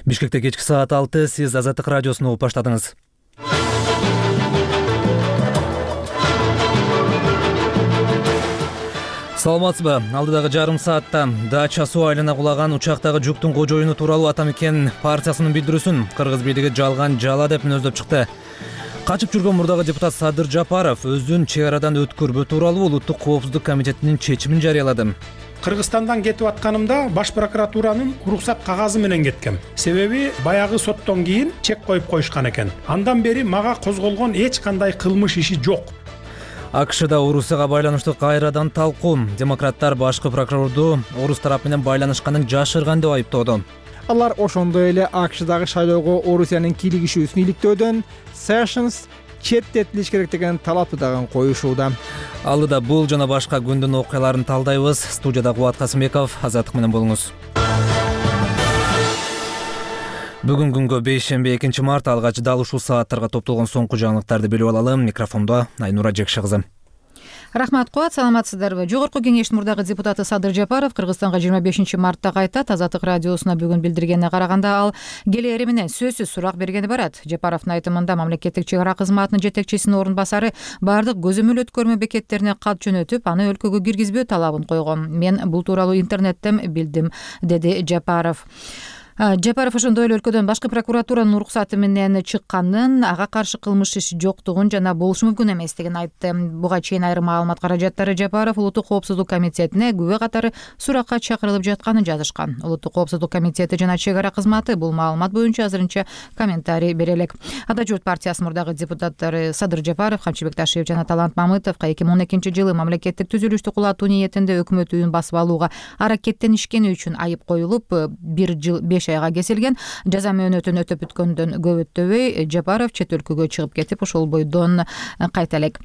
Бишкекте кечки саат 6, сиз Азаттык радиосун угуп баштадыңыз. Саламатсызбы? Алдыдагы жарым саатта Дача суу айылына кулаган учактагы жүктүн кожоюну тууралуу Атамекен партиясынын билдирүүсүн кыргыз бийлиги жалган жала деп мүнөздөп чыкты. Качып жүргөн мурдагы депутат Садыр Жапаров өзүн чек арадан өткөрбөө тууралуу Улуттук коопсуздук комитетинин чечимин жарыялады. Кыргызстандан кетип атканымда баш прокуратуранын уруксат кагазы менен кеткем. Себеби баягы соттон кийин чек коюп коюшкан экен. Андан бери мага козголгон эч кандай кылмыш иши жок. АКШда Орусияга байланыштуу кайрадан талкуу. Демократтар башкы прокурорду Орус тарап менен байланышканын жашырган деп айыптоодо. Алар ошондой эле АКШдагы шайлоого Орусиянын кийлигишүүсүн иликтөөдөн Sessions четтетилиш керек деген талапты дагы коюшууда. Алдыда бул жана башка күндүн окуяларын талдайбыз. Студияда Кубат Касымбеков, Азаттык менен болуңуз. Бүгүн күнгө бейшемби 2 март алгач дал ушул сааттарга топтолгон соңку жаңылыктарды билип алалы. Микрофондо Айнура Жекши кызы. Рахмат Кубат, саламатсыздарбы? Жогорку кеңештин мурдагы депутаты Садыр Жапаров Кыргызстанга 25 мартта кайтат. Азаттык радиосуна бүгүн билдиргенине караганда ал келери менен сөзсүз сурак бергени барат. Жапаровдун айтымында мамлекеттик чек ара кызматынын жетекчисинин орун басары бардык көзөмөл өткөрмө бекеттерине кат жөнөтүп, аны өлкөгө киргизбөө талабын койгон. Мен бул тууралуу интернеттен билдим, деди Жапаров. Жапаров ошондой эле өлкөдөн башкы прокуратуранын уруксаты менен чыкканын, ага каршы кылмыш иши жоктугун жана болушу мүмкүн эместигин айтты. Буга чейин айрым маалымат каражаттары Жапаров Улуттук коопсуздук комитетине күбө катары суракка чакырылып жатканын жазышкан. Улуттук коопсуздук комитети жана чек ара кызматы бул маалымат боюнча азырынча комментарий бере элек. Ата журт партиясынын мурдагы депутаттары Садыр Жапаров, Камчыбек Ташиев жана Талант Мамытовго 2012-жылы мамлекеттик түзүлүштү кулатуу ниетинде өкмөт үйүн басып алууга аракеттенишкени үчүн айып коюлуп, 1 жыл 5 айга кесилген. Жаза мөөнөтүн өтөп бүткөндөн көп өтпөй Жапаров чет өлкөгө чыгып кетип, ошол бойдон кайта элек.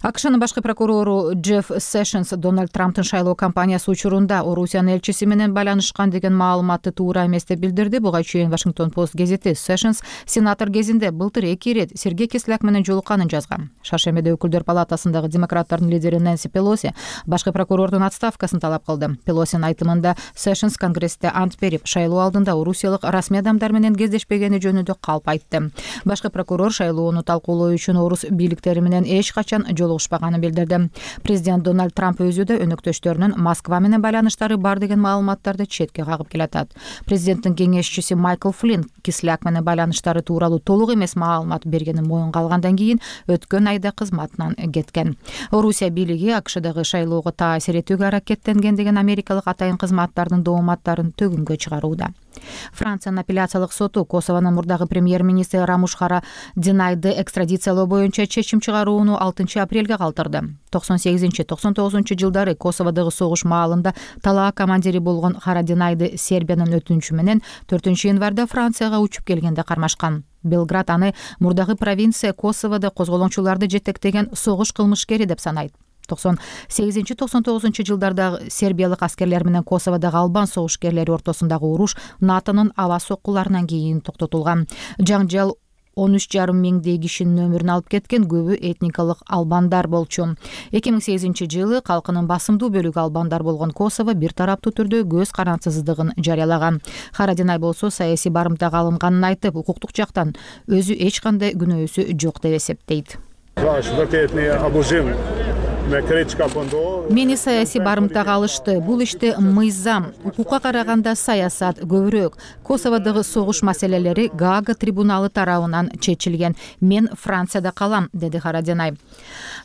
АКШнын башкы прокурору Джефф Sessions Дональд Трамптын шайлоо кампаниясы учурунда Орусиянын элчиси менен байланышкан деген маалыматты туура эмес деп билдирди. Буга чейин Washington Post газети Sessions сенатор кезинде былтыр 2 ирет Сергей Кислак менен жолукканын жазган. Шаршембиде өкүлдөр палатасындагы демократтардын лидери Нэнси Пелоси башкы прокурордун отставкасын талап кылды. Пелосинин айтымында Sessions Конгрессте ант берип, шайлоо алдында орусиялык расмий адамдар менен кездешпегени жөнүндө калп айтты. Башкы прокурор шайлоону талкуулоо үчүн орус бийликтери менен эч качан жолугушпаганын билдирди. Президент Дональд Трамп өзү да өнөктөштөрүнүн Москва менен байланыштары бар деген маалыматтарды четке кагып келатат. Президенттин кеңешчиси Майкл Флинн Кисляк менен байланыштары тууралуу толук эмес маалымат бергенин моюнга алгандан кийин өткөн айда кызматынан кеткен. Орусия бийлиги АКШдагы шайлоого таасир этүүгө аракеттенген деген америкалык атайын кызматтардын дооматтарын төгүнгө чыгарууда. Франциянын апелляциялык соту Косовонун мурдагы премьер-министри Рамуш Харадинайды экстрадициялоо боюнча чечим чыгарууну 6 апрелге калтырды. 98-99 жылдары Косоводогу согуш маалында талаа командири болгон Харадинайды Сербиянын өтүнүчү менен 4 январда Францияга учуп келгенде кармашкан. Белград аны мурдагы провинция Косоводо козголоңчуларды жетектеген согуш кылмышкери деп санайт. 98-99 жылдарда сербиялык аскерлер менен Косоводогу албан согушкерлери ортосундагы уруш НАТОнун аба соккуларынан кийин токтотулган. Жаңжал 13,5 миңдей кишинин өмүрүн алып кеткен, көбү этникалык албандар болчу. 2008 жылы калкынын басымдуу бөлүгү албандар болгон Косово бир тараптуу түрдө көз карансыздыгын жарыялаган. Харадинай болсо саясий барымтага алынганын айтып, укуктук жактан өзү эч кандай күнөөсү жок деп эсептейт. Мени саясий барымтага алышты. Бул иште мыйзам, укукка караганда саясат көбүрөөк. Косоводогу согуш маселелери Гаага трибуналы тарабынан чечилген. Мен Францияда калам, деди Харадинай.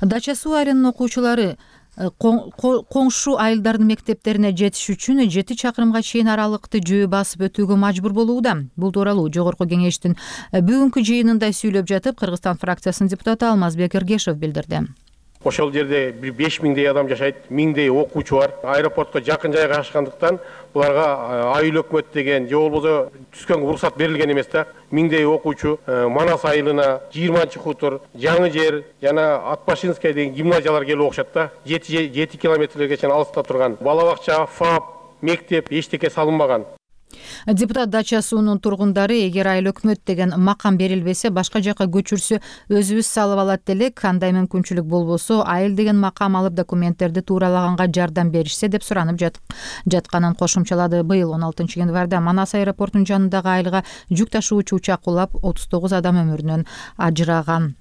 Дача суу айылынын окуучулары коңшу айылдардын мектептерине жетиш үчүн 7 чакырымга чейин аралыкты жөө басып өтүүгө мажбур болууда. Бул тууралуу жогорку кеңештин бүгүнкү жыйынында сүйлөп жатып, Кыргызстан фракциясынын депутаты Алмазбек Эргешев билдирди. Ошол жерде 5000дей адам жашайт, 1000дей окуучу бар. Аэропортко жакын жайга ашкандыктан буларга айыл өкмөт деген же болбосо түскөн уруксат берилген эмес да. 1000дей окуучу Манас айылына, 20-хутур, Жаңы жер жана Атбашинская деген гимназиялар келип окушат да. 7 километрлерге чейин алыста турган. Бала бакча, ФАП, мектеп эчтеке салынбаган. Депутат Дача суунун тургундары эгер айыл өкмөт деген макам берилбесе башка жака көчүрсө өзүбүз салып алат делек, кандай мүмкүнчүлүк болбосо айыл деген макам алып документтерди тууралаганга жардам беришсе деп суранып жатканын кошумчалады. Быйыл 16 январда Манас аэропортунун жанындагы айылга жүк ташуучу учак кулап 39 адам өмүрүнөн ажыраган.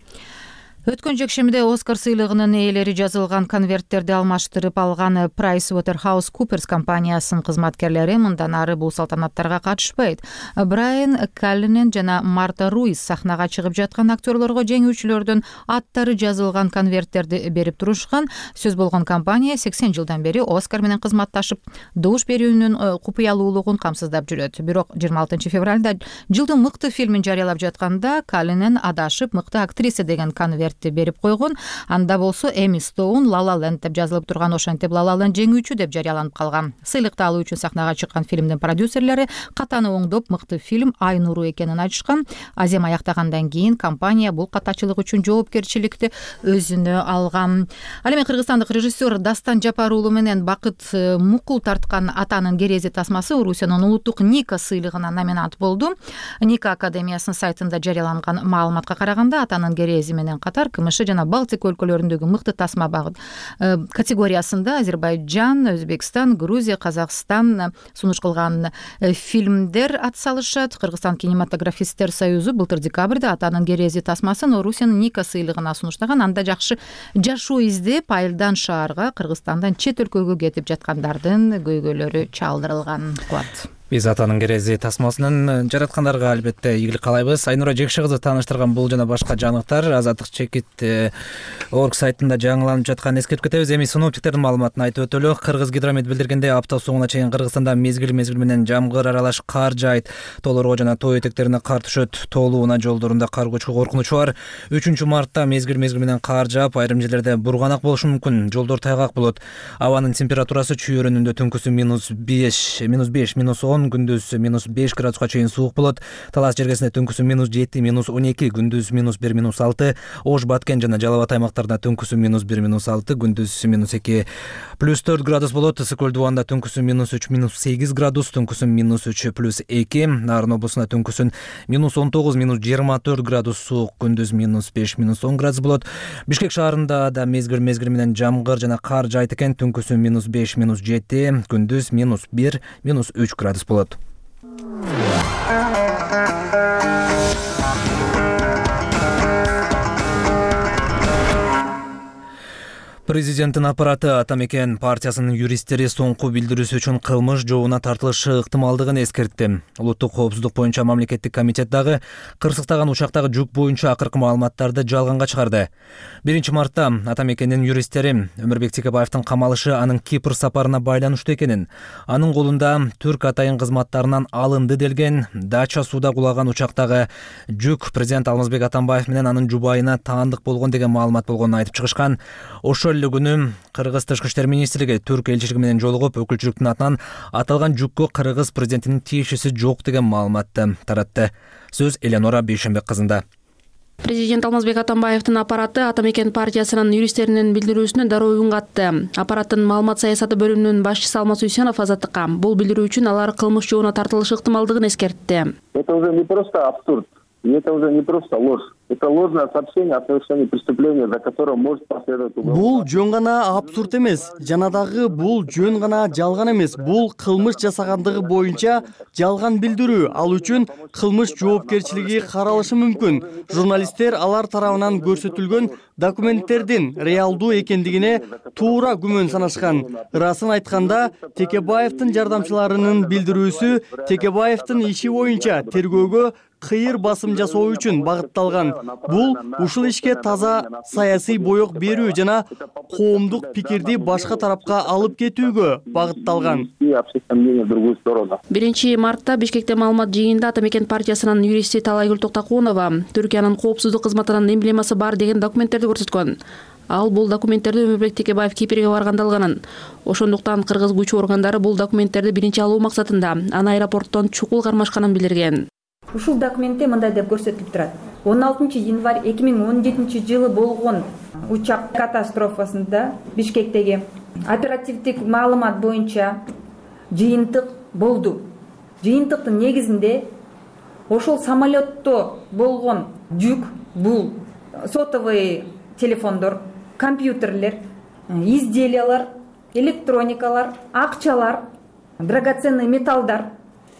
Өткөн жекшембиде Оскар сыйлыгынын ээлери жазылган конверттерди алмаштырып алган PricewaterhouseCoopers компаниясынын кызматкерлери мындан ары бул салтанаттарга катышпайт. Брайан Каллинен жана Марта Руис сахнага чыгып жаткан актерлорго жеңүүчүлөрдүн аттары жазылган конверттерди берип турушкан. Сөз болгон компания 80 жылдан бери Оскар менен кызматташып, добуш берүүнүн купуялуулугун камсыздап жүрөт. Бирок 26 февралда жылдын мыкты фильмин жарыялап жатканда Каллинен адашып мыкты актриса деген конверт берип койгон. Анда болсо Эми Стоун La La Land деп жазылып турган, ошентип La La Land жеңүүчү деп жарыяланып калган. Сыйлыкты алуу үчүн сахнага чыккан фильмдин продюсерлери катаны оңдоп, мыкты фильм ай нуру экенин айтышкан. Азем аяктагандан кийин компания бул катачылык үчүн жоопкерчиликти өзүнө алган. Ал эми кыргызстандык режиссер Дастан Жапар уулу менен Бакыт Мукул тарткан Атанын керези тасмасы Орусиянын улуттук Ника сыйлыгына номинант болду. Ника академиясынын сайтында жарыяланган маалыматка караганда Атанын керези менен катар КМШ жана Балтика өлкөлөрүндөгү мыкты тасма багыт категориясында Азербайжан, Өзбекстан, Грузия, Казакстан сунуш кылган фильмдер атсалышат. Кыргызстан кинематографисттер союзу былтыр декабрда Атанын керези тасмасын Орусиянын Ника сыйлыгына сунуштаган. Анда жакшы жашоо издеп, айылдан шаарга, Кыргызстандан чет өлкөгө кетип жаткандардын көйгөйлөрү чалдырылган. Кубат. Биз Атанын керези тасмасынын жараткандарга албетте ийгилик каалайбыз. Айнура Жекши кызы тааныштырган бул жана башка жаңылыктар Азаттык чекит орг сайтында жаңыланып жатканын эскертип кетебиз. Эми синоптиктердин маалыматын айтып өтөлү. Кыргызгидромет билдиргендей, апта соңуна чейин Кыргызстанда мезгил менен жамгыр аралаш кар жаайт. Тоолорго жана тоо этектерине кар түшөт. Тоолуу унаа жолдорунда кар көчкү коркунучу бар. 3-мартта мезгил менен кар жаап, айрым жерлерде бурганак болушу мүмкүн. Жолдор тайгак болот. Абанын температурасы чүй өрөөнүндө түнкүсү -5, -10, күндүз -5 градуска чейин суук болот. Талас жергесинде түнкүсү -7, -12, күндүз -1, -6. Ош, Баткен жана Жалал Абад аймактарында түнкүсү -1, -6, күндүз -2, +4 градус болот. Ысык көл дубанда түнкүсү -3, -8 градус, түнкүсү -3, +2. Нарын облусунда түнкүсүн -19, -24 градус суук, күндүз -5, -10 градус болот. Бишкек шаарында да мезгил менен жамгыр жана кар жаайт экен. Түнкүсү -5, -7, күндүз -1, -3 градус болот. Президенттин аппараты Атамекен партиясынын юристтери соңку билдирүүсү үчүн кылмыш жообуна тартылышы ыктымалдыгын эскертти. Улуттук коопсуздук боюнча мамлекеттик комитет дагы кырсыктаган учактагы жүк боюнча акыркы маалыматтарды жалганга чыгарды. 1-мартта Атамекендин юристтери Өмүрбек Текебаевдин камалышы анын Кипр сапарына байланыштуу экенин, анын колунда түрк атайын кызматтарынан алынды делген Дача сууда кулаган учактагы жүк президент Алмазбек Атамбаев менен анын жубайына таандык болгон деген маалымат болгонун айтып чыгышкан. Ошол күнү Кыргыз Тышкы иштер министрлиги түрк элчилиги менен жолугуп, өкүлчүлүктүн атынан аталган жүккө Кыргыз президентинин тиешеси жок деген маалыматты таратты. Сөз Эленора Бейшембек кызында. Президент Алмазбек Атамбаевдин аппараты Атамекен партиясынын юристтеринин билдирүүсүнө дароо үн катты. Аппараттын маалымат саясаты бөлүмүнүн башчысы Алмаз Уйсенов Азаттыкка бул билдирүү үчүн алар кылмыш жообуна тартылышы ыктымалдыгын эскертти. Это уже не просто абсурд, и это уже не просто ложь. Это ложное сообщение о совершении преступления, за которым может последовать уголовное. Бул жөн гана абсурд эмес, жана дагы бул жөн гана жалган эмес. Бул кылмыш жасагандыгы боюнча жалган билдирүү. Ал үчүн кылмыш жоопкерчилиги каралышы мүмкүн. Журналисттер алар тарабынан көрсөтүлгөн документтердин реалдуу экендигине туура күмөн санашкан. Ырасын айтканда, Текебаевдин жардамчыларынын билдирүүсү Текебаевдин иши боюнча тергөөгө кыйыр басым жасоо үчүн багытталган. Бул ушул ишке таза саясий боек берүү жана коомдук пикирди башка тарапка алып кетүүгө багытталган. 1-мартта Бишкекте маалымат жыйынында Атамекен партиясынын юристи Талайгүл Токтокунова Түркиянын коопсуздук кызматынын эмблемасы бар деген документтерди көрсөткөн. Ал бул документтерди Өмүрбек Текебаев Кипрге барганда алганын. Ошондуктан кыргыз күч органдары бул документтерди биринчи алуу максатында аны аэропорттон чукул кармашканын билдирген. Ушул документте мындай деп көрсөтүлүп турат. 16 январь 2017 жылы болгон учак катастрофасында Бишкектеги оперативдик маалымат боюнча жыйынтык болду. жыйынтыктын негизинде ошол самолетто болгон жүк бул сотовый телефондор, компьютерлер, изделиялар, электроникалар, акчалар, драгоценный металлдар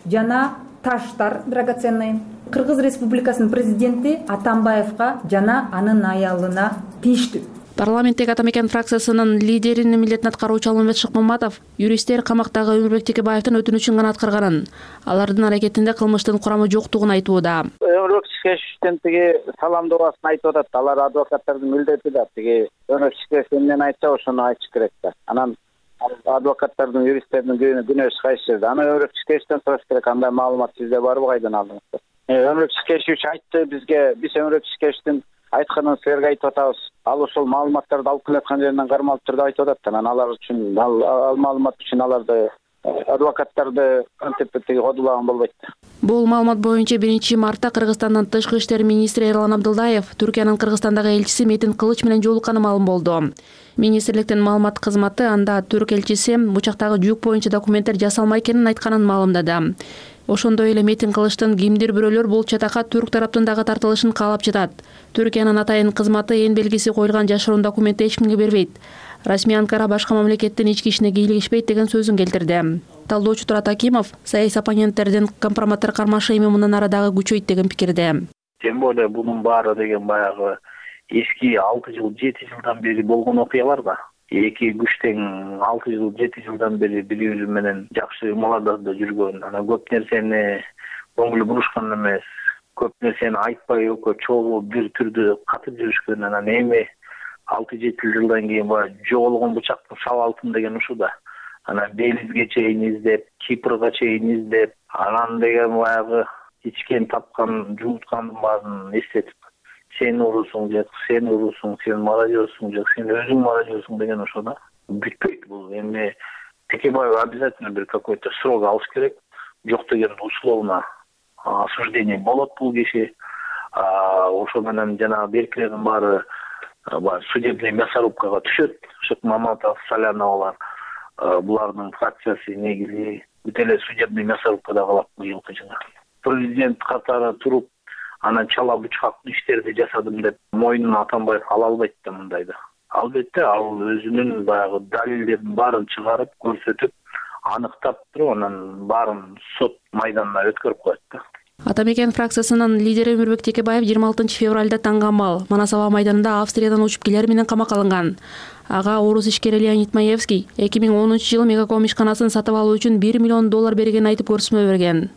жана таштар драгоценный. Кыргыз Республикасынын президенти Атамбаевга жана анын аялына тийиштүү. Парламенттеги Атамекен фракциясынын лидеринин милдетин аткаруучу Алмамбет Шыкмаматов юристтер камактагы Өмүрбек Текебаевдин өтүнүчүн гана аткарганын, алардын аракетинде кылмыштын курамы жоктугун айтууда. Өмүрбек Текебаевдин тиги саламдообасын айтып атат. Алар адвокаттардын милдети да тиги Өмүрбек Текебаев эмнени айтса ошону айтыш керек да. Анан адвокаттардын, юристтердин күнөөсү кайсы жерде? Аны Өмүрбек Текебаевден сураш керек. Андай маалымат сизде барбы, кайдан алдыңыз? Өмүрбек Текебаев айтты бизге, биз Өмүрбек Текебаевдин айтканын силерге айтып атабыз. Ал ошол маалыматтарды алып келаткан жеринен кармалып турду айтып атат. Анан алар үчүн, ал маалымат үчүн аларды адвокаттарды кантип кодулаган болбойт. Бул маалымат боюнча 1-мартта Кыргызстандын тышкы иштер министри Эрлан Абдылдаев Түркиянын Кыргызстандагы элчиси Метин Кылыч менен жолукканы маалым болду. Министрликтин маалымат кызматы анда түрк элчиси учактагы жүк боюнча документтер жасалмай экенин айтканын маалымдады. Ошондой эле Метин Кылычтын кимдир бирөөлөр бул чатакка түрк тараптын дагы тартылышын каалап жатат. Түркиянын атайын кызматы эн белгиси коюлган жашыруун документти эч кимге бербейт. Расмий Анкара башка мамлекеттин ички ишине кийлигишпейт деген сөзүн келтирди. Талдоочу Турат Акимов саясий оппоненттердин компроматтар кармашы эми мындан ары дагы күчөйт деген пикирде. Тем более бунун баары деген баягы эски 6 жыл 7 жылдан бери болгон окуялар да. Эки күч тең 6 жыл 7 жылдан бери бири-бири менен жакшы муладарда жүргөн. Анан көп нерсени көңүл бурушкан эмес, көп нерсени айтпай өкө чогуу бир түрдө катып жүрүшкөн. Анан эми 6-7 жылдан кийин баягы жоголгон бычактын сабалтын деген ушу да. Анан Белизге чейин издеп, Кипрга чейин издеп, анан деген баягы ичкен тапкан, жууткандын баарын эстетип, сен урусуң жок, сен урусуң, сен мародёрсуң жок, сен өзүң мародёрсуң деген ошо да. Бүтпөйт бул. Эми Текебаев обязательно бир какой-то срок алыш керек. Жок деген условно осуждение болот бул киши. Ошо менен жана беркилердин баары судебный мясорубкага түшөт. Шыкмаматов, Саляновалар, булардын фракциясы негизи бүт эле судебный мясорубкада калат быйылкы жылы. Президент катары туруп, анан чала бычкактуу иштерди жасадым деп мойнуна Атамбаев ала албайт да мындайда. Албетте ал өзүнүн баягы далилдерин баарын чыгарып, көрсөтүп, аныктап туруп, анан баарын сот майданына өткөрүп коет да. Атамекен фракциясынын лидери Өмүрбек Текебаев 26 февралда таңгамал Манас аба майданында Австриядан учуп келер менен камакка алынган. Ага орус ишкери Леонид Маевский 2010 жылы Мегаком ишканасын сатып алуу үчүн $1 миллион бергенин айтып көрсөтмө берген.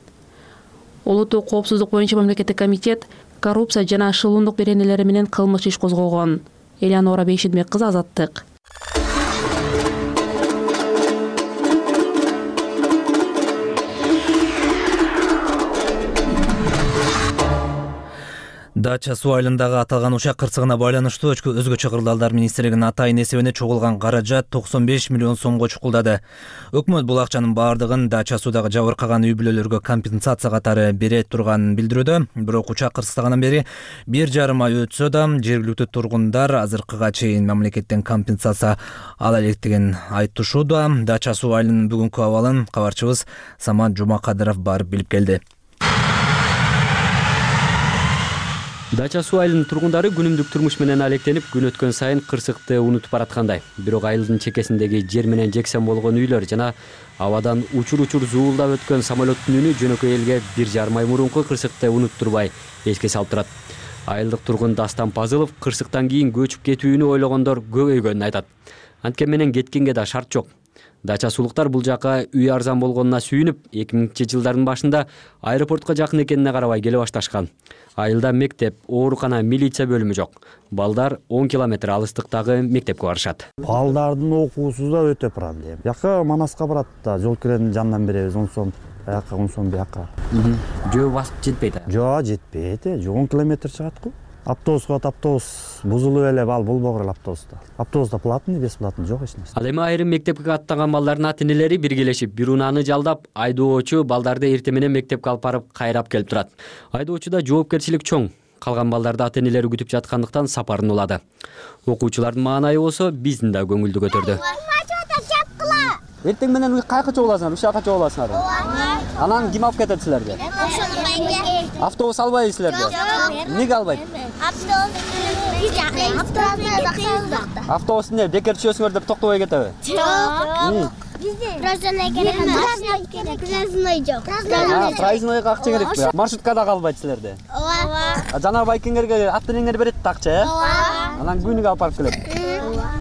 Улуттук коопсуздук боюнча мамлекеттик комитет коррупция жана шылуундук беренелери менен кылмыш иш козгогон. Элеонора Бейшидбек кызы, Азаттык. Дача суу айылындагы аталган учак кырсыгына байланыштуу өзгөчө кырдаалдар министрлигинин атайын эсебине чогулган каражат 95 миллион сомго чукулдады. Өкмөт бул акчанын бардыгын дача суудагы жабыркаган үй бүлөлөргө компенсация катары бере турганын билдирүүдө. Бирок учак кырсыгынан бери 1,5 ай өтсө да жергиликтүү тургундар азыркыга чейин мамлекеттен компенсация ала электигин айтышууда. Дача суу айылынын бүгүнкү абалын кабарчыбыз Самат Жумакадыров барып билип келди. Дача суу айылынын тургундары күнүмдүк турмуш менен алектенип, күн өткөн сайын кырсыкты унутуп бараткандай. Бирок айылдын чекесиндеги жер менен жексен болгон үйлөр жана абадан учур-учур зуулдап өткөн самолеттун үнү жөнөкөй элге 1,5 ай мурунку кырсыкты унуттурбай эске салып турат. Айылдык тургун Дастан Пазылов кырсыктан кийин көчүп кетүүнү ойлогондор көбөйгөнүн айтат. Анткени менен кеткенге да шарт жок. Дача суулуктар бул жака үй арзан болгонуна сүйүнүп, 2000-жылдардын башында аэропортко жакын экенине карабай келе башташкан. Айылда мектеп, оорукана, милиция бөлүмү жок. Балдар 10 километр алыстыктагы мектепке барышат. Балдардын окуусу да өтө проблема. Жака Манаска барат да, жол киренин жанынан беребиз, 10 сом, аяка 10 сом бияка. Жөө басып жетпейт. Жөө жетпейт, 10 километр чыгат го. Автобусга автобус бузулуп эле бал болбогор автобуста. Автобуста платный, бесплатный жок эч нерсе. Ал эми айрым мектепке аттаган балдардын ата-энелери биргелешип, бир унааны жалдап, айдоочу балдарды эртең менен мектепке алып барып, кайрап келип турат. Айдоочуда жоопкерчилик чоң. Калган балдарды ата-энелери күтүп жаткандыктан сапарын улады. Окуучулардын маанайы болсо биздин да көңүлдү көтөрдү. Эртең менен кайка чогуласыңар? Ушакка чогуласыңар. Анан ким алып кетет силерди? Автобус албайбы силерди? Неге албайт? Автобус эмне бекер түшөсүңөр деп токтобой кетеби? Жок. Проездной керек. Проезднойго акча керекпи? Маршруткада калбайт силерди? Ооба. Жана байкеңерге ат энеңер берет акча, э? Анан күнүгө алып барып келет.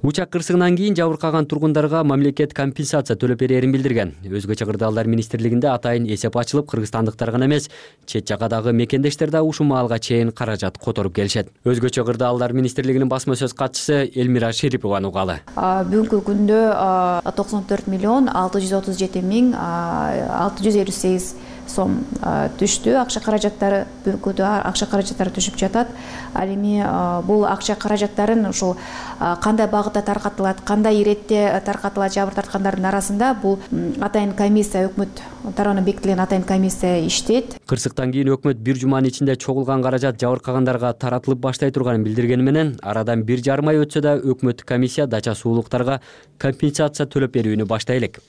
Учак кырсыгынан кийин жабыркаган тургундарга мамлекет компенсация төлөп берерин билдирген. Өзгөчө кырдаалдар министрлигинде атайын эсеп ачылып, кыргызстандыктар гана эмес, чет жагадагы мекендештер да ушул маалга чейин каражат которуп келишет. Өзгөчө кырдаалдар министрлигинин басма сөз катчысы Элмира Шерипованын угалы. Бүгүнкү күндө 94 миллион 637 миң 658 сом түштү. Акча каражаттары бүгүнкү акча каражаттары түшүп жатат. Ал эми бул акча каражаттарын ушул кандай багытта таркатылат, кандай иретте таркатылат жабыр тарткандардын арасында бул атайын комиссия, өкмөт тарабынан бекитилген атайын комиссия иштейт. Кырсыктан кийин өкмөт бир жуманын ичинде чогулган каражат жабыркагандарга таратылып баштай турганын билдиргени менен арадан 1,5 ай өтсө да өкмөттүк комиссия дача суулуктарга компенсация төлөп берүүнү баштай элек.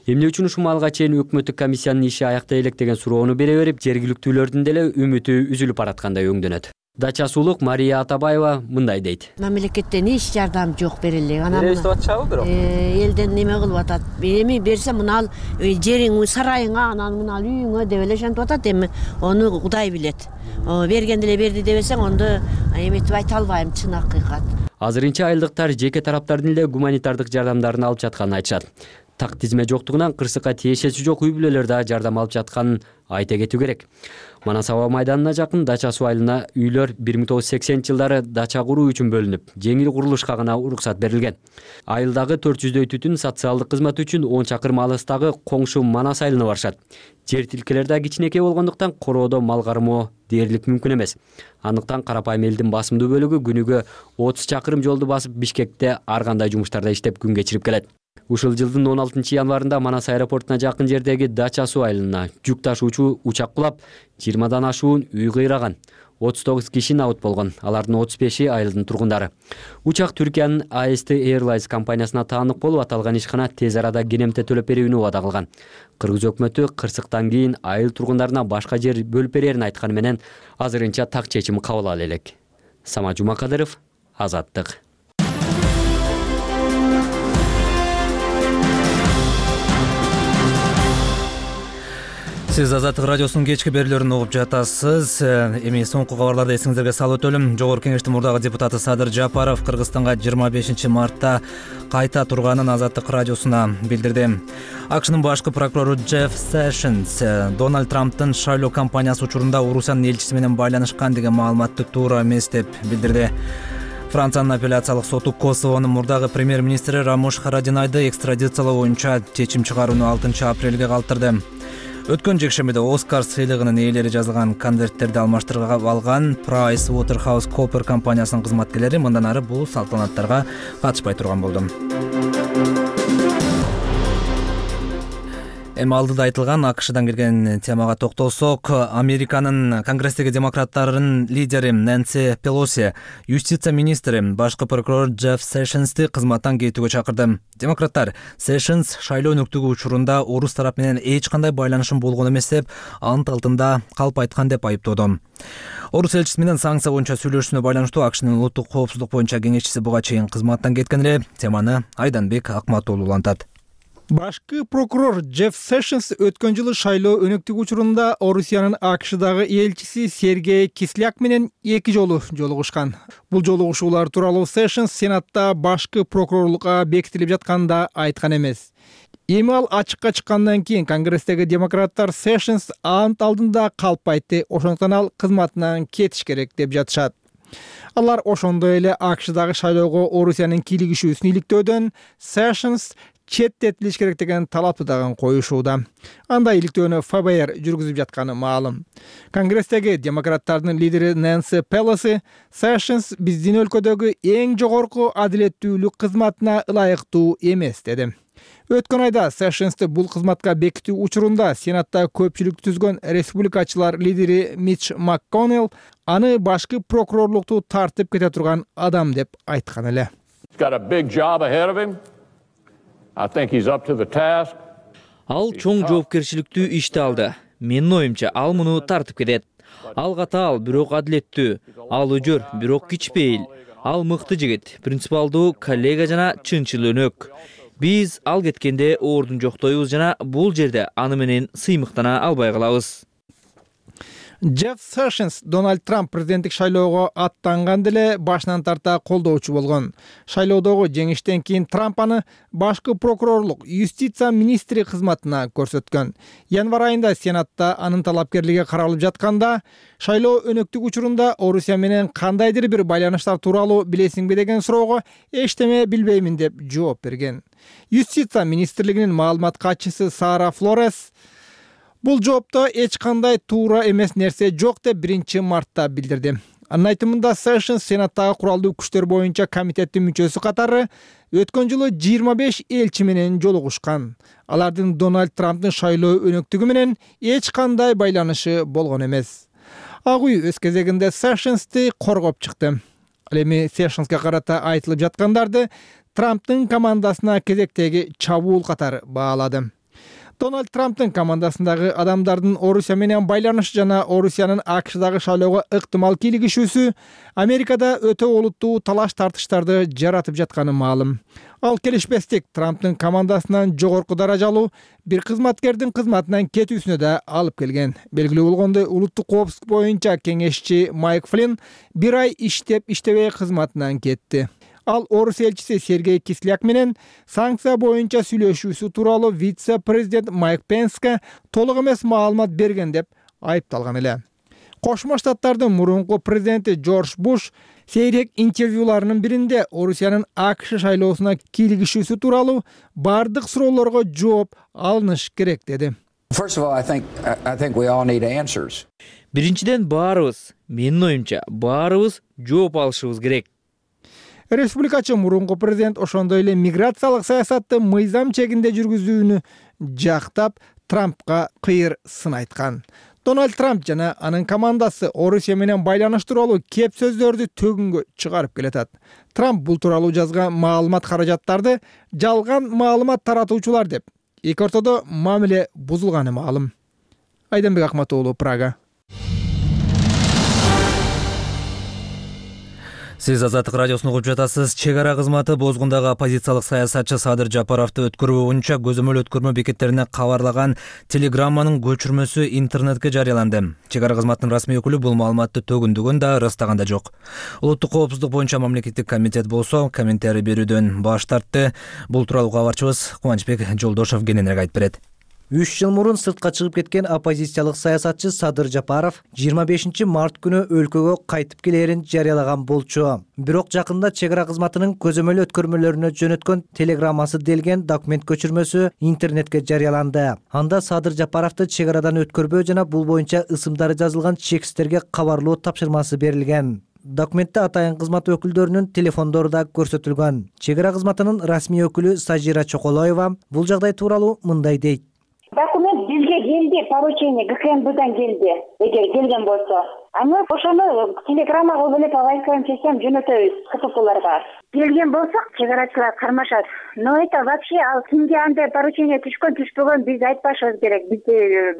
Эмне үчүн ушул маалга чейин өкмөттүк комиссиянын иши аяктай элек деген суроону бере берип, жергиликтүүлөрдүн деле үмүтү үзүлүп бараткандай өңдөнөт. Дача суулук Мария Атабаева мындай дейт. Мамлекеттен эч жардам жок бериле. Беребиз деп атышабы бирок? Элден неме кылып атат. Эми берсе мына жериң, сарайыңа, анан мына үйүңө деп эле шантип атат. Эми ону Кудай билет. Берген деле берди дебесең, ондо эметип айта албайм, чын акыйкат. Азырынча айылдыктар жеке тараптардын эле гуманитардык жардамдарын алып жатканын айтышат. Так тизме жоктугунан кырсыкка тиешеси жок үй бүлөлөр да жардам алып жатканын айта кетүү керек. Манас аба майданына жакын Дача суу айылына үйлөр 1980-жылдары дача куруу үчүн бөлүнүп, жеңил курулушка гана уруксат берилген. Айылдагы 400дөй түтүн социалдык кызмат үчүн 10 чакырым алыстагы коңшу Манас айылына барышат. Жер тилкелер да кичинекей болгондуктан короодо мал кармоо дээрлик мүмкүн эмес. Андыктан карапайым элдин басымдуу бөлүгү күнүгө 30 чакырым жолду басып Бишкекте ар кандай жумуштарда иштеп күн кечирип келет. Ушул жылдын 16 январында Манас аэропортуна жакын жердеги Дача суу айылына жүк ташуучу учак кулап, 20дан ашуун үй кыйраган. 39 киши набыт болгон. Алардын 35и айылдын тургундары. Учак Түркиянын AST Airlines компаниясына таандык болуп, аталган ишкана тез арада кенемте төлөп берүүнү убада кылган. Кыргыз өкмөтү кырсыктан кийин айыл тургундарына башка жер бөлүп берерин айтканы менен азырынча так чечим кабыл ала элек. Сама Жумакадыров, Азаттык. Сиз Азаттык радиосунун кечки берүүлөрүн угуп жатасыз. Эми соңку кабарларды эсиңиздерге салып өтөлүм. Жогорку Кеңештин мурдагы депутаты Садыр Жапаров Кыргызстанга 25 мартта кайта турганын Азаттык радиосуна билдирди. АКШнын башкы прокурору Джефф Сэшнс Дональд Трамптын шайлоо кампаниясы учурунда Орусиянын элчиси менен байланышкан деген маалыматты туура эмес деп билдирди. Франциянын апелляциялык соту Косовонун мурдагы премьер-министри Рамош Харадинайды экстрадициялоо боюнча чечим чыгарууну 6 апрелге калтырды. Өткөн жекшембиде Оскар сыйлыгынын ээлери жазылган конверттерди алмаштырып алган PricewaterhouseCoopers компаниясынын кызматкерлери мындан ары бул салтанаттарга катышпай турган болду. Эми алдыда айтылган АКШдан келген темага токтолсок, Американын Конгресстеги демократтардын лидери Нэнси Пелоси юстиция министри башкы прокурор Джефф Сэшнсти кызматтан кетүүгө чакырды. Демократтар Сэшнс шайлоо өнүктүгү учурунда орус тарап менен эч кандай байланышым болгон эмес деп ант алдында калп айткан деп айыптоодо. Орус элчиси менен санкция боюнча сүйлөшүүнө байланыштуу АКШнын улуттук коопсуздук боюнча кеңешчиси буга чейин кызматтан кеткен эле. Теманы Айданбек Акматуулу улантат. Башкы прокурор Джефф Сэшнс өткөн жылы шайлоо өнүктүгү учурунда Орусиянын АКШдагы элчиси Сергей Кисляк менен 2 жолу жолугушкан. Бул жолугушуулар тууралуу Сэшнс Сенатта башкы прокурорлукка бекитилип жатканда айткан эмес. Эми ал ачыкка чыккандан кийин Конгресстеги демократтар Сэшнс ант алдында калп айтты, ошондуктан ал кызматынан кетиш керек деп жатышат. Алар ошондой эле АКШдагы шайлоого Орусиянын кийлигишүүсүн иликтөөдөн Сэшнс четтетилиш керек деген талапты дагы коюшууда. Андай иликтөөнү ФБР жүргүзүп жатканы маалым. Конгресстеги демократтардын лидери Нэнси Пелоси Сэшнс биздин өлкөдөгү эң жогорку адилеттүүлүк кызматына ылайыктуу эмес деди. Өткөн айда Сэшнсти бул кызматка бекитүү учурунда Сенатта көпчүлүктү түзгөн республикачылар лидери Митч МакКоннелл аны башкы прокурорлукту тартып кете турган адам деп айткан эле. Ал чоң жоопкерчиликтүү ишти алды. Менин оюмча, ал муну тартып кетет. Ал катаал, бирок адилеттүү. Ал өжөр, бирок кичпейил. Ал мыкты жигит, принципиалдуу коллега жана чынчыл өнөк. Биз ал кеткенде ордун жоктойбуз жана бул жерде аны менен сыймыктана албай калабыз. Джефф Sessions Дональд Трамп президенттик шайлоого аттанган деле башынан тарта колдоочу болгон. Шайлоодогу жеңиштен кийин Трамп аны башкы прокурорлук, юстиция министри кызматына көрсөткөн. Январь айында Сенатта анын талапкерлиги каралып жатканда, шайлоо өнөктүк учурунда Орусия менен кандайдыр бир байланыштар тууралуу билесиңби деген суроого эчтеме билбеймин деп жооп берген. Юстиция министрлигинин маалымат катчысы Сара Флорес бул жоопто эч кандай туура эмес нерсе жок деп 1-мартта билдирди. Анын айтымында Sessions Сенаттагы куралдуу күчтөр боюнча комитеттин мүчөсү катары өткөн жылы 25 элчи менен жолугушкан. Алардын Дональд Трамптын шайлоо өнөктүгү менен эч кандай байланышы болгон эмес. Ак үй өз кезегинде Sessions'ти коргоп чыкты. Ал эми Sessions'га карата айтылып жаткандарды Трамптын командасына кезектеги чабуул катары баалады. Дональд Трамптын командасындагы адамдардын Орусия менен байланышы жана Орусиянын АКШдагы шайлоого ыктымал кийлигишүүсү Америкада өтө олуттуу талаш тартыштарды жаратып жатканы маалым. Ал келишпестик Трамптын командасынан жогорку даражалуу бир кызматкердин кызматынан кетүүсүнө да алып келген. Белгилүү болгондой, улуттук коопсуздук боюнча кеңешчи Майк Флинн 1 ай иштеп-иштебей кызматынан кетти. Ал Орус элчиси Сергей Кисляк менен санкция боюнча сүйлөшүүсү тууралуу вице-президент Майк Пенске толук эмес маалымат берген деп айыпталган эле. Кошмо Штаттардын мурунку президенти Джордж Буш сейрек интервьюларынын биринде Орусиянын АКШ шайлоосуна кийлигишүүсү тууралуу бардык суроолорго жооп алыныш керек деди. Биринчиден баарыбыз, менин оюмча, баарыбыз жооп алышыбыз керек. Республикачы мурунку президент ошондой эле миграциялык саясатты мыйзам чегинде жүргүзүүнү жактап, Трампка кыйыр сын айткан. Дональд Трамп жана анын командасы Орусия менен байланыш тууралуу кеп сөздөрдү төгүнгө чыгарып келатат. Трамп бул тууралуу жазган маалымат каражаттарды жалган маалымат таратуучулар деп эки ортодо мамиле бузулганы маалым. Айданбек Акматоğlu, Прага. Сиз Азаттык радиосуну угуп жатасыз. Чек ара кызматы бозгундагы оппозициялык саясатчы Садыр Жапаровду өткөрүү боюнча көзөмөл өткөрмө бекеттерине кабарлаган телеграмманын көчүрмөсү интернетке жарыяланды. Чек ара кызматынын расмий өкүлү бул маалыматты төгүндүгүн да ырастаган да жок. Улуттук коопсуздук боюнча мамлекеттик комитет болсо комментарий берүүдөн баш тартты. Бул тууралуу кабарчыбыз Кубанычбек Жолдошов кененирээк айтып берет. 3 жыл мурун сыртка чыгып кеткен оппозициялык саясатчы Садыр Жапаров 25 март күнү өлкөгө кайтып келерин жарыялаган болчу. Бирок жакында чек ара кызматынын көзөмөл өткөрмөлөрүнө жөнөткөн телеграммасы делген документ көчүрмөсү интернетке жарыяланды. Анда Садыр Жапаровду чек арадан өткөрбөө жана бул боюнча ысымдары жазылган чекстерге кабарлоо тапшырмасы берилген. Документте атайын кызмат өкүлдөрүнүн телефондору да көрсөтүлгөн. Чек ара кызматынын расмий өкүлү Сажира Чоколоева бул жагдай тууралуу мындай дейт. Документ бизге келди, поручение ГКМБдан келди. Эгер келген болсо, аны ошону телеграммага бөлөп алайкын десем жөнөтөбүз КППларга. Келген болсок, чек арачылар кармашат. Но это вообще ал кимге андай поручение түшкөн биз айтпашыбыз керек.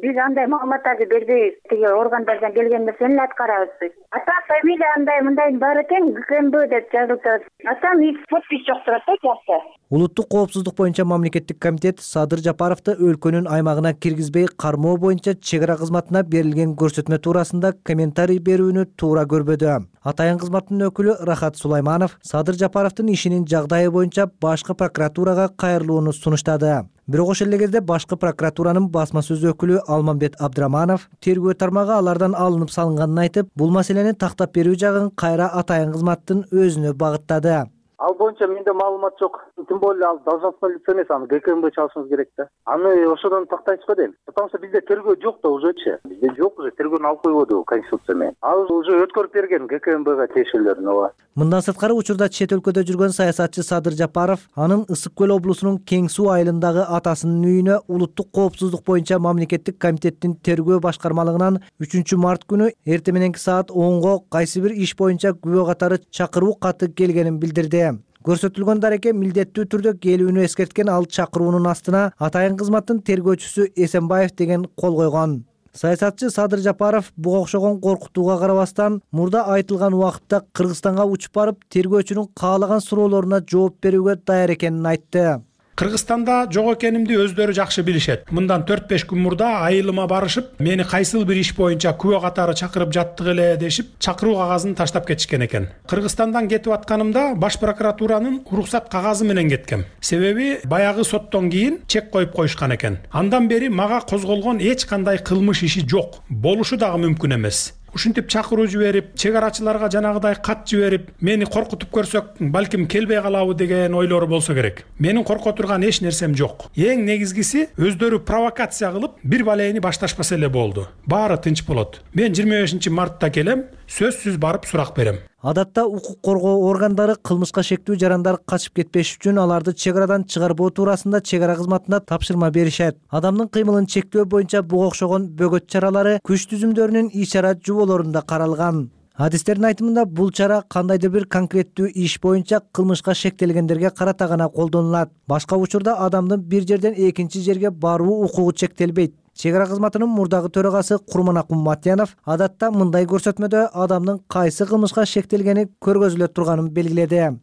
Биз андай маалыматтарды бербейбиз. Тиги органдардан келген нерсени аткарабыз биз. Ата фамилия мындай бар экен, ГКМБ деп жазылып. Атам подпись жок турат да жакты. Улуттук коопсуздук боюнча мамлекеттик комитет Садыр Жапаровду өлкөнүн аймагына киргизбей кармоо боюнча чек ара кызматына берилген көрсөтмө туурасында комментарий берүүнү туура көрбөдү. Атайын кызматтын өкүлү Рахат Сулайманов Садыр Жапаровдун ишинин жагдайы боюнча башкы прокуратурага кайрылууну сунуштады. Бирок ошол эле кезде башкы прокуратуранын басма сөз өкүлү Алмамбет Абдраманов тергөө тармагы алардан алынып салынганын айтып, бул маселени тактап берүү жагын кайра атайын кызматтын өзүнө багыттады. Ал боюнча менде маалымат жок. Тем более ал должностной лицо эмес, аны ГКМБ чалышыбыз керек да. Аны ошодон тактайчы дейм. Потому что бизде тергөө жок да ужечи. Бизде жок уже тергөөнү алып койбоду Конституция менен. Ал уже өткөрүп берген ГКМБга тиешелерин ооба. Мындан сырткары учурда чет өлкөдө жүргөн саясатчы Садыр Жапаров анын Ысык көл облусунун Кең суу айылындагы атасынын үйүнө улуттук коопсуздук боюнча мамлекеттик комитеттин тергөө башкармалыгынан 3 март күнү эртең мененки саат 10го кайсы бир иш боюнча күбө катары чакыруу каты келгенин билдирди. Көрсөтүлгөн дареке милдеттүү түрдө келүүнү эскерткен ал чакыруунун астына атайын кызматтын тергөөчүсү Эсенбаев деген кол койгон. Саясатчы Садыр Жапаров буга окшогон коркутууга карабастан мурда айтылган убакытта Кыргызстанга учуп барып тергөөчүнүн каалаган суроолоруна жооп берүүгө даяр экенин айтты. Кыргызстанда жок экенимди өздөрү жакшы билишет. Мындан 4-5 күн мурда айылыма барышып, мени кайсыл бир иш боюнча күбө катары чакырып жаттык эле дешип, чакыруу кагазын таштап кетишкен экен. Кыргызстандан кетип атканымда баш прокуратуранын уруксат кагазы менен кеткем. Себеби баягы соттон кийин чек коюп коюшкан экен. Андан бери мага козголгон эч кандай кылмыш иши жок. Болушу дагы мүмкүн эмес. Ушинтип чакыруу жиберип, чек арачыларга жанагыдай кат жиберип, мени коркутуп көрсөк, балким келбей калабы деген ойлору болсо керек. Менин корко турган эч нерсем жок. Эң негизгиси өздөрү провокация кылып, бир балейни башташпаса эле болду. Баары тынч болот. Мен 25-мартта келем, сөзсүз барып сурак берем. Адатта укук коргоо органдары кылмышка шектүү жарандар качып кетпеш үчүн аларды чек арадан чыгарбоо туурасында чек ара кызматына тапшырма беришет. Адамдын кыймылын чектөө боюнча буга окшогон бөгөт чаралары күч түзүмдөрүнүн иш-чара жуболорунда каралган. Адистердин айтымында бул чара кандайдыр бир конкреттүү иш боюнча кылмышка шектелгендерге карата гана колдонулат. Башка учурда адамдын бир жерден экинчи жерге баруу укугу чектелбейт. Чек ара кызматынын мурдагы төрагасы Курманак Умматянов адатта мындай көрсөтмөдө адамдын кайсы кылмышка шектелгени көргөзүлө турганын белгиледи.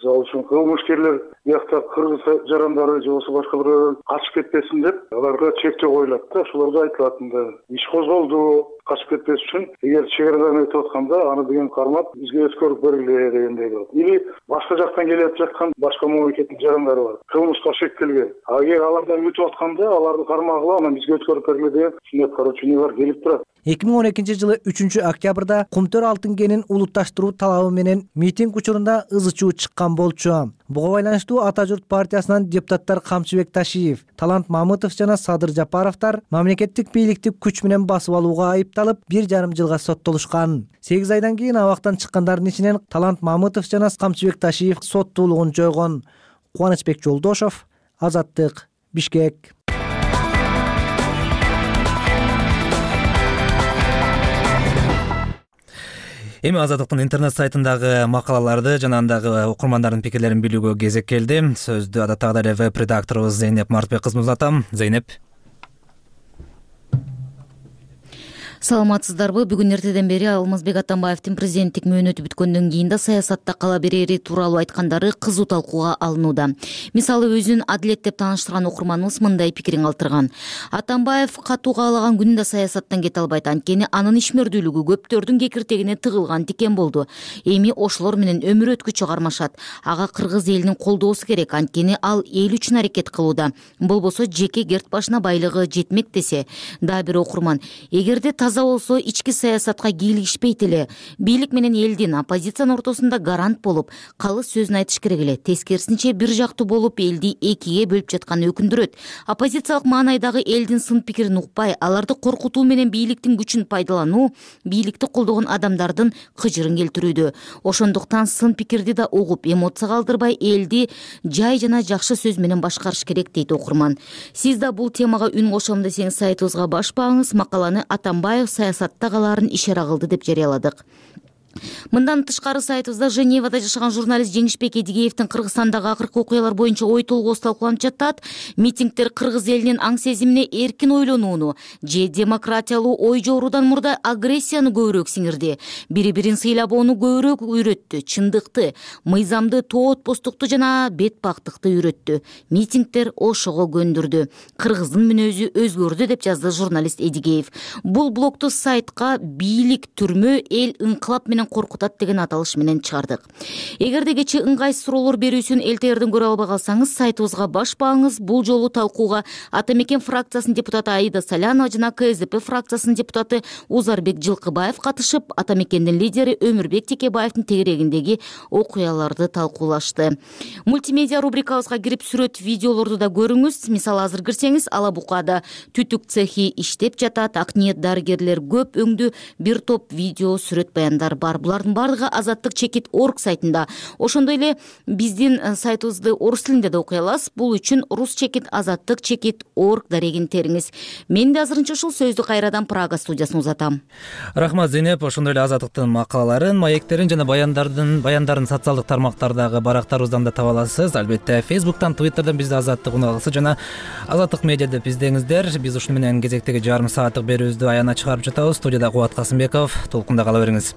Ал үчүн кылмышкерлер биякта кыргыз жарандары же болбосо башкалар качып кетпесин деп аларга чектөө коюлат да. Ошолорго айтылат мындай иш козголду, качып кетпес үчүн эгер чек арадан өтүп атканда аны деген кармап бизге өткөрүп бергиле дегендей болот. Или башка жактан келип жаткан башка мамлекеттин жарандары бар. Кылмышка шектелген. Эгер алардан өтүп атканда аларды кармагыла, анан бизге өткөрүп бергиле деген ушундай поручениялар келип турат. 2012-жылы 3-октябрда Кумтөр алтын кенин улутташтыруу талабы менен митинг учурунда ызы чуу чыккан болчу. Буга байланыштуу Ата журт партиясынан депутаттар Камчыбек Ташиев, Талант Мамытов жана Садыр Жапаровдор мамлекеттик бийликти күч менен басып алууга айыпталып 1,5 жылга соттолушкан. 8 айдан кийин абактан чыккандардын ичинен Талант Мамытов жана Камчыбек Ташиев соттуулугун жойгон. Кубанычбек Жолдошов, Азаттык, Бишкек. Эми Азаттыктын интернет сайтындагы макалаларды жана андагы окурмандардын пикирлерин билүүгө кезек келди. Сөздү адаттагыдай эле веб-редакторубуз Зейнеп Мартбек кызына узатам. Зейнеп. Саламатсыздарбы? Бүгүн эртеден бери Алмазбек Атамбаевдин президенттик мөөнөтү бүткөндөн кийин да саясатта кала берери тууралуу айткандары кызуу талкууга алынууда. Мисалы өзүн адилет деп тааныштырган окурманыбыз мындай пикирин калтырган. Атамбаев катуу каалаган күнүндө саясаттан кете албайт, анткени анын ишмердүүлүгү көптөрдүн кекиртегине тыгылган тикен болду. Эми ошолор менен өмүр өткүчү кармашат. Ага кыргыз элинин колдоосу керек, анткени ал эл үчүн аракет кылууда. Болбосо жеке керт башына байлыгы жетмек десе. Дагы бир окурман: эгерде болсо ички саясатка кийлигишпейт эле. Бийлик менен элдин, оппозициянын ортосунда гарант болуп, калыс сөзүн айтыш керек эле. Тескерисинче бир жактуу болуп, элди экиге бөлүп жатканы өкүндүрөт. Оппозициялык маанайдагы элдин сын пикирин укпай, аларды коркутуу менен бийликтин күчүн пайдалануу бийликти колдогон адамдардын кыжырын келтирүүдө. Ошондуктан сын пикирди да угуп, эмоцияга алдырбай, элди жай жана жакшы сөз менен башкарыш керек, дейт окурман. Сиз да бул темага үн кошом десеңиз сайтыбызга баш багыңыз. Макаланы Атамбаев саясатта калаарын ишара кылды деп жарыяладык. Мындан тышкары сайтыбызда Женевада жашаган журналист Жеңишбек Эдигеевдин Кыргызстандагы акыркы окуялар боюнча ой толгоосу талкууланып жатат. Митингдер кыргыз элинин аң сезимине эркин ойлонууну же демократиялуу ой жоруудан мурда агрессияны көбүрөөк сиңирди. Бири-бирин сыйлабоону көбүрөөк үйрөттү. Чындыкты, мыйзамды, тоотпостукту жана бетпактыкты үйрөттү. Митингдер ошого көндүрдү. Кыргыздын мүнөзү өзгөрдү деп жазды журналист Эдигеев. Бул блогту сайтка бийлик түрмө, эл ыңкылап менен коркутат деген аталыш менен чыгардык. Эгерде кечээ ыңгайсыз суроолор берүүсүн элтегерден көрө албай калсаңыз, сайтыбызга баш багыңыз. Бул жолу талкууга Атамекен фракциясынын депутаты Аида Салянова жана КСДП фракциясынын депутаты Узарбек Жылкыбаев катышып, Атамекендин лидери Өмүрбек Текебаевдин тегерегиндеги окуяларды талкуулашты. Мультимедиа рубрикабызга кирип сүрөт, видеолорду да көрүңүз. Мисалы, азыр кирсеңиз, Ала Букада түтүк цехи иштеп жатат, ак ниет дарыгерлер көп, өңдү бир топ видео, сүрөт, баяндар бар. бар. Булардын бардыгы Азаттык чекит орг сайтында. Ошондой эле биздин сайтыбызды орус тилинде да окуй аласыз. Бул үчүн рус чекит азаттык чекит орг дарегин териңиз. Мен да азырынча ушул сөздү кайрадан Прага студиясына узатам. Рахмат Зейнеп. Ошондой эле Азаттыктын макалаларын, маектерин жана баяндарын социалдык тармактардагы барактарыбыздан да таба аласыз. Албетте Facebook'tan, Twitter'dan бизди Азаттык унаалысы жана Азаттык медиа деп издеңиздер. Биз ушуну менен кезектеги жарым сааттык берүүбүздү аягына чыгарып жатабыз. Студияда Кубат Касымбеков. Толкунда кала бериңиз.